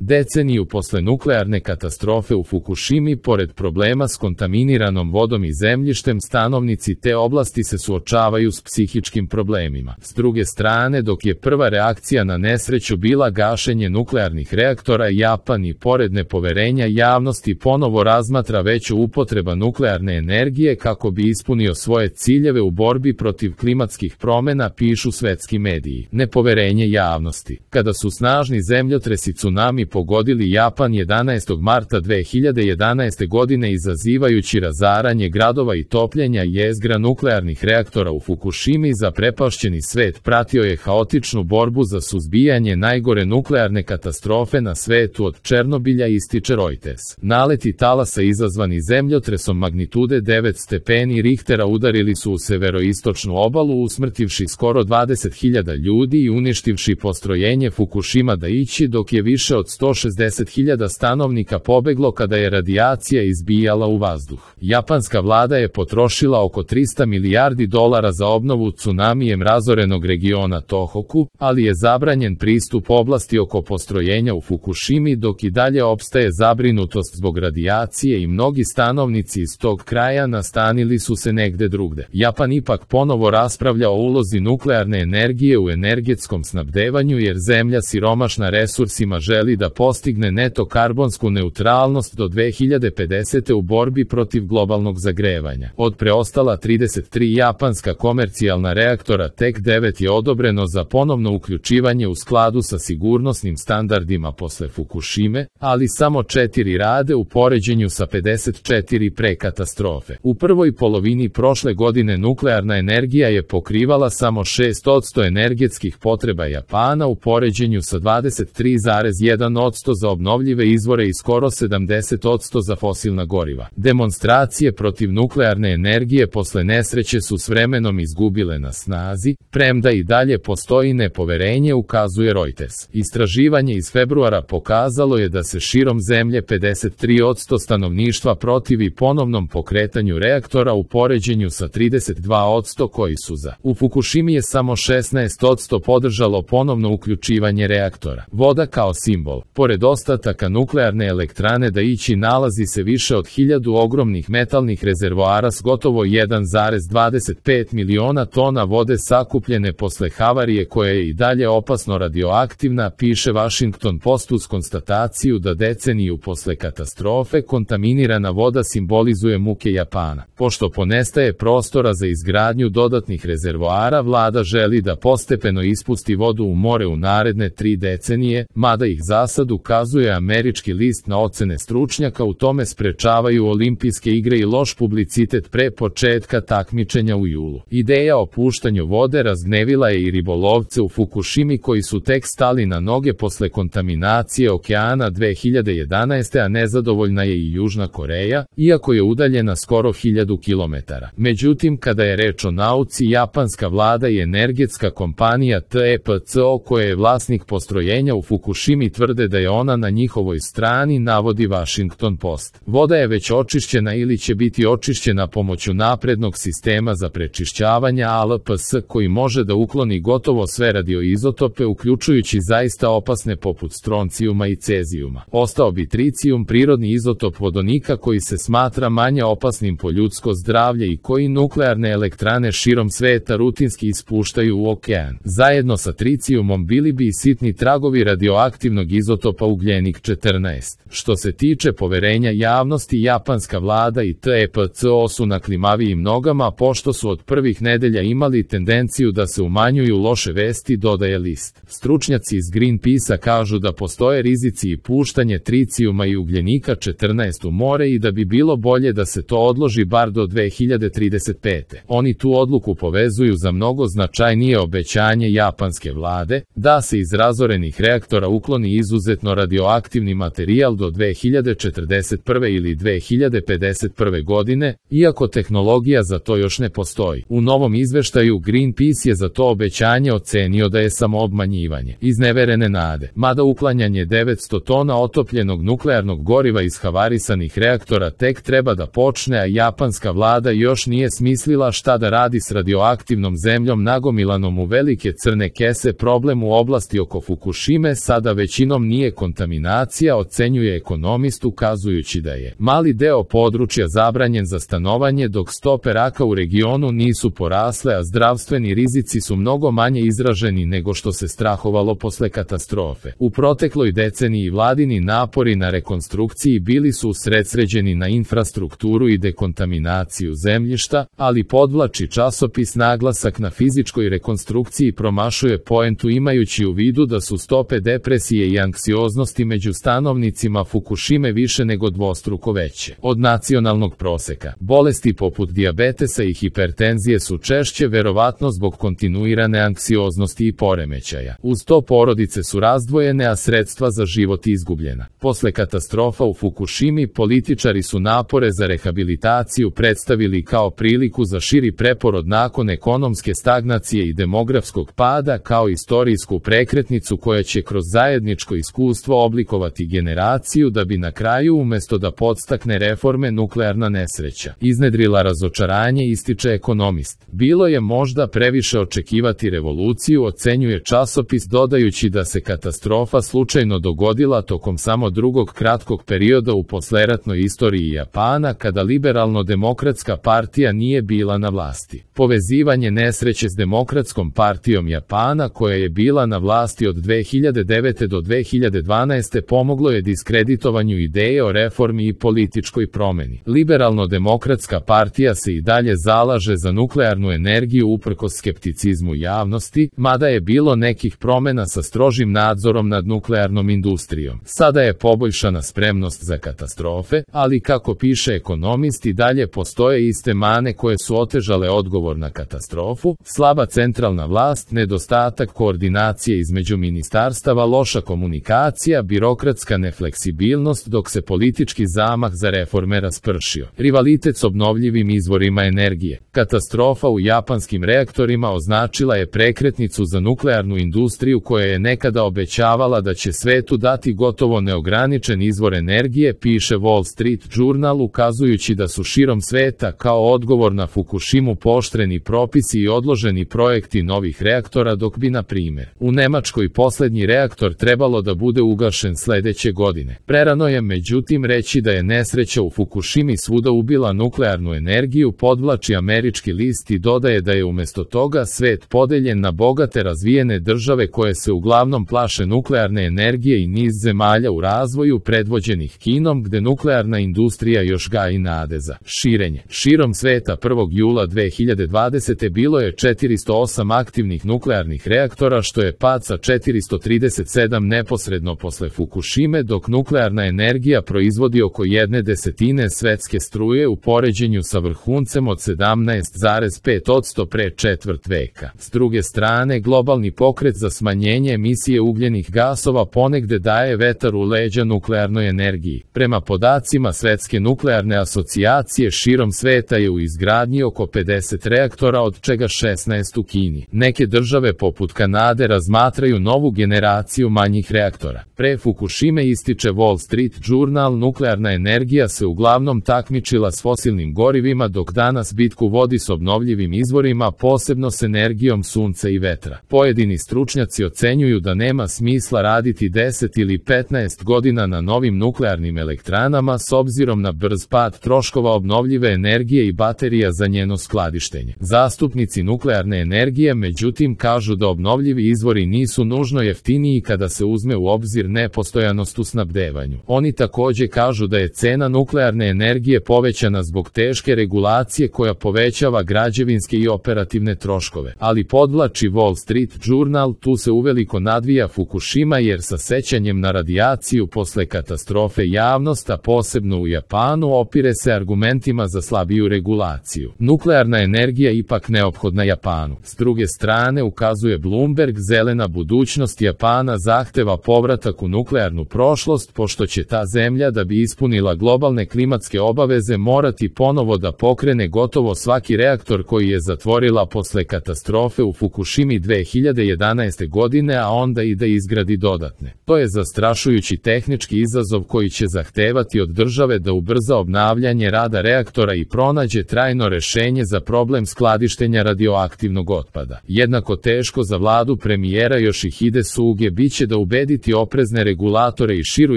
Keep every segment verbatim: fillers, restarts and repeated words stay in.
Deceniju posle nuklearne katastrofe u Fukušimi, pored problema s kontaminiranom vodom i zemljištem, stanovnici te oblasti se suočavaju s psihičkim problemima. S druge strane, dok je prva reakcija na nesreću bila gašenje nuklearnih reaktora, Japan i pored nepoverenja javnosti ponovo razmatra veću upotreba nuklearne energije kako bi ispunio svoje ciljeve u borbi protiv klimatskih promena, pišu svetski mediji. Nepoverenje javnosti. Kada su snažni zemljotresi tsunami pogodili Japan jedanaestog marta dve hiljade jedanaeste godine, izazivajući razaranje gradova i topljenja jezgra nuklearnih reaktora u Fukušimi, zaprepašćeni svet pratio je haotičnu borbu za suzbijanje najgore nuklearne katastrofe na svetu od Černobilja, ističe Reuters. Naleti talasa izazvani zemljotresom magnitude devet stepeni Richtera udarili su u severoistočnu obalu, usmrtivši skoro dvadeset hiljada ljudi i uništivši postrojenje Fukušima Daiichi, dok je više od sto šezdeset hiljada stanovnika pobeglo kada je radijacija izbijala u vazduh. Japanska vlada je potrošila oko trista milijardi dolara za obnovu tsunamijem razorenog regiona Tohoku, ali je zabranjen pristup oblasti oko postrojenja u Fukušimi, dok i dalje opstaje zabrinutost zbog radijacije i mnogi stanovnici iz tog kraja nastanili su se negde drugde. Japan ipak ponovo raspravlja o ulozi nuklearne energije u energetskom snabdevanju, jer zemlja siromašna resursima želi da postigne neto karbonsku neutralnost do dve hiljade pedesete. u borbi protiv globalnog zagrevanja. Od preostala trideset tri japanska komercijalna reaktora tek devet je odobreno za ponovno uključivanje u skladu sa sigurnosnim standardima posle Fukušime, ali samo četiri rade u poređenju sa pedeset četiri pre katastrofe. U prvoj polovini prošle godine nuklearna energija je pokrivala samo šest posto energetskih potreba Japana u poređenju sa dvadeset tri zarez jedan posto za obnovljive izvore i skoro sedamdeset posto za fosilna goriva. Demonstracije protiv nuklearne energije posle nesreće su s vremenom izgubile na snazi, premda i dalje postoji nepoverenje, ukazuje Reuters. Istraživanje iz februara pokazalo je da se širom zemlje pedeset tri posto stanovništva protivi ponovnom pokretanju reaktora u poređenju sa trideset dva posto koji su za. U Fukušimi je samo šesnaest posto podržalo ponovno uključivanje reaktora. Voda kao simbol. Pored ostataka nuklearne elektrane Daiichi nalazi se više od hiljadu ogromnih metalnih rezervoara s gotovo jedan zarez dvadeset pet miliona tona vode sakupljene posle havarije koja je i dalje opasno radioaktivna, piše Washington Post uz konstataciju da deceniju posle katastrofe kontaminirana voda simbolizuje muke Japana. Pošto ponestaje prostora za izgradnju dodatnih rezervoara, vlada želi da postepeno ispusti vodu u more u naredne tri decenije, mada ih za sad, ukazuje američki list, na ocene stručnjaka u tome sprečavaju olimpijske igre i loš publicitet pre početka takmičenja u julu. Ideja o puštanju vode razgnevila je i ribolovce u Fukušimi koji su tek stali na noge posle kontaminacije okeana dve hiljade jedanaeste. a nezadovoljna je i Južna Koreja, iako je udaljena skoro hiljadu kilometara. Međutim, kada je reč o nauci, japanska vlada i energetska kompanija T E P C O, koja je vlasnik postrojenja u Fukušimi, tvrde da je ona na njihovoj strani, navodi Washington Post. Voda je već očišćena ili će biti očišćena pomoću naprednog sistema za prečišćavanje A L P S koji može da ukloni gotovo sve radioizotope, uključujući zaista opasne poput stroncijuma i cezijuma. Ostao bi tricijum, prirodni izotop vodonika koji se smatra manje opasnim po ljudsko zdravlje i koji nuklearne elektrane širom sveta rutinski ispuštaju u okean. Zajedno sa tricijumom bili bi i sitni tragovi radioaktivnog izotopa ugljenik četrnaest. Što se tiče poverenja javnosti, japanska vlada i T E P C O su na klimavijim nogama, pošto su od prvih nedelja imali tendenciju da se umanjuju loše vesti, dodaje list. Stručnjaci iz Greenpeace-a kažu da postoje rizici i puštanje tricijuma i ugljenika četrnaest u more i da bi bilo bolje da se to odloži bar do dve hiljade trideset pete. Oni tu odluku povezuju za mnogo značajnije obećanje japanske vlade, da se iz razorenih reaktora ukloni izuzetno radioaktivni materijal do dve hiljade četrdeset prve ili dve hiljade pedeset prve godine, iako tehnologija za to još ne postoji. U novom izveštaju Greenpeace je za to obećanje ocenio da je samo obmanjivanje. Izneverene nade. Mada uklanjanje devetsto tona otopljenog nuklearnog goriva iz havarisanih reaktora tek treba da počne, a japanska vlada još nije smislila šta da radi s radioaktivnom zemljom nagomilanom u velike crne kese, problem u oblasti oko Fukušime sada većinom nije nije kontaminacija, ocenjuje ekonomist, ukazujući da je mali deo područja zabranjen za stanovanje, dok stope raka u regionu nisu porasle, a zdravstveni rizici su mnogo manje izraženi nego što se strahovalo posle katastrofe. U protekloj deceniji vladini napori na rekonstrukciji bili su usredsređeni na infrastrukturu i dekontaminaciju zemljišta, ali podvlači časopis naglasak na fizičkoj rekonstrukciji promašuje poentu imajući u vidu da su stope depresije i anksioznosti među stanovnicima Fukušime više nego dvostruko veće od nacionalnog proseka. Bolesti poput dijabetesa i hipertenzije su češće, verovatno zbog kontinuirane anksioznosti i poremećaja. Uz to porodice su razdvojene, a sredstva za život izgubljena. Posle katastrofa u Fukušimi političari su napore za rehabilitaciju predstavili kao priliku za širi preporod nakon ekonomske stagnacije i demografskog pada, kao istorijsku prekretnicu koja će kroz zajedničko iskustvo oblikovati generaciju da bi na kraju, umesto da podstakne reforme, nuklearna nesreća iznedrila razočaranje, ističe ekonomist. Bilo je možda previše očekivati revoluciju, ocenjuje časopis, dodajući da se katastrofa slučajno dogodila tokom samo drugog kratkog perioda u posleratnoj istoriji Japana, kada liberalno-demokratska partija nije bila na vlasti. Povezivanje nesreće s Demokratskom partijom Japana, koja je bila na vlasti od dve hiljade devete do dve hiljade dvanaeste, pomoglo je diskreditovanju ideje o reformi i političkoj promeni. Liberalno-demokratska partija se i dalje zalaže za nuklearnu energiju uprkos skepticizmu javnosti, mada je bilo nekih promena sa strožim nadzorom nad nuklearnom industrijom. Sada je poboljšana spremnost za katastrofe, ali kako piše ekonomist, i dalje postoje iste mane koje su otežale odgovor na katastrofu: slaba centralna vlast, nedostatak koordinacije između ministarstava, loša komunikacija, birokratska nefleksibilnost, dok se politički zamah za reforme raspršio. Rivalitet s obnovljivim izvorima energije. Katastrofa u japanskim reaktorima označila je prekretnicu za nuklearnu industriju koja je nekada obećavala da će svetu dati gotovo neograničen izvor energije, piše Wall Street Journal, ukazujući da su širom sveta kao odgovor na Fukushimu pooštreni propisi i odloženi projekti novih reaktora, dok bi, na primjer, u Nemačkoj poslednji reaktor trebalo da bude ugašen sledeće godine. Prerano je međutim reći da je nesreća u Fukushimi svuda ubila nuklearnu energiju, podvlači američki list i dodaje da je umesto toga svet podeljen na bogate razvijene države koje se uglavnom plaše nuklearne energije i niz zemalja u razvoju predvođenih Kinom, gde nuklearna industrija još gaji nade za širenje. Širom sveta prvog jula dve hiljade dvadesete bilo je četiristo osam aktivnih nuklearnih reaktora, što je pad sa četiristo trideset sedam neposredno posle Fukushime, dok nuklearna energija proizvodi oko jedne desetine svetske struje u poređenju sa vrhuncem od sedamnaest zarez pet posto pre četvrt veka. S druge strane, globalni pokret za smanjenje emisije ugljenih gasova ponegde daje vetar u leđa nuklearnoj energiji. Prema podacima Svetske nuklearne asocijacije, širom sveta je u izgradnji oko pedeset reaktora, od čega šesnaest u Kini. Neke države poput Kanade razmatraju novu generaciju manjih reaktora. Pre Fukushime, ističe Wall Street Journal, nuklearna energija se uglavnom takmičila s fosilnim gorivima, dok danas bitku vodi s obnovljivim izvorima, posebno s energijom sunca i vetra. Pojedini stručnjaci ocenjuju da nema smisla raditi deset ili petnaest godina na novim nuklearnim elektranama s obzirom na brz pad troškova obnovljive energije i baterija za njeno skladištenje. Zastupnici nuklearne energije međutim kažu da obnovljivi izvori nisu nužno jeftiniji kada se uzme u obzir nepostojanost u snabdevanju. Oni takođe kažu da je cena nuklearne energije povećana zbog teške regulacije koja povećava građevinske i operativne troškove. Ali, podvlači Wall Street Journal, tu se uveliko nadvija Fukushima, jer sa sećanjem na radijaciju posle katastrofe javnost, a posebno u Japanu, opire se argumentima za slabiju regulaciju. Nuklearna energija ipak neophodna Japanu. S druge strane, ukazuje Bloomberg, zelena budućnost Japana zahteva povratak u nuklearnu prošlost, pošto će ta zemlja, da bi ispunila globalne klimatske obaveze, morati ponovo da pokrene gotovo svaki reaktor koji je zatvorila posle katastrofe u Fukushimi dve hiljade jedanaeste godine, a onda i da izgradi dodatne. To je zastrašujući tehnički izazov koji će zahtevati od države da ubrza obnavljanje rada reaktora i pronađe trajno rešenje za problem skladištenja radioaktivnog otpada. Jednako teško za vladu premijera Yoshihide Suge biće da ubedi uveriti oprezne regulatore i širu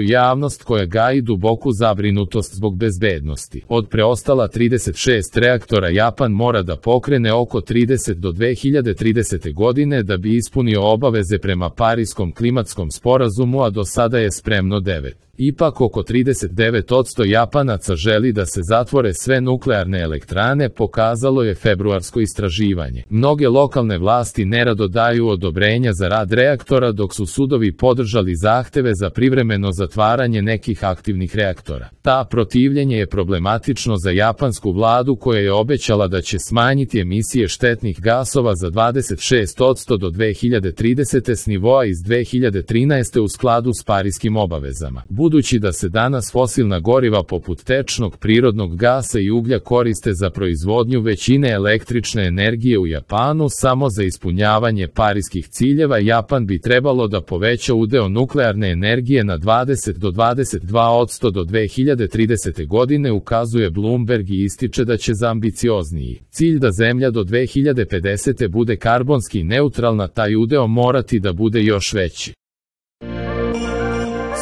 javnost koja gaji duboku zabrinutost zbog bezbednosti. Od preostala trideset šest reaktora Japan mora da pokrene oko trideset do dve hiljade tridesete godine da bi ispunio obaveze prema Pariskom klimatskom sporazumu, a do sada je spremno devet. Ipak oko trideset devet posto Japanaca želi da se zatvore sve nuklearne elektrane, pokazalo je februarsko istraživanje. Mnoge lokalne vlasti nerado daju odobrenja za rad reaktora, dok su sudovi podržali zahteve za privremeno zatvaranje nekih aktivnih reaktora. Ta protivljenje je problematično za japansku vladu koja je obećala da će smanjiti emisije štetnih gasova za dvadeset šest posto do dve hiljade tridesete s nivoa iz dve hiljade trinaeste u skladu s pariskim obavezama. Budući da se danas fosilna goriva poput tečnog prirodnog gasa i uglja koriste za proizvodnju većine električne energije u Japanu samo za ispunjavanje pariskih ciljeva, Japan bi trebalo da poveća udeo nuklearne energije na dvadeset do dvadeset dva posto do dve hiljade tridesete godine, ukazuje Bloomberg i ističe da će za ambiciozniji cilj da zemlja do dve hiljade pedesete bude karbonski neutralna taj udeo morati da bude još veći.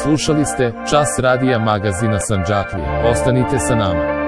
Slušali ste Čas radija magazina Sandžaklija. Ostanite sa nama.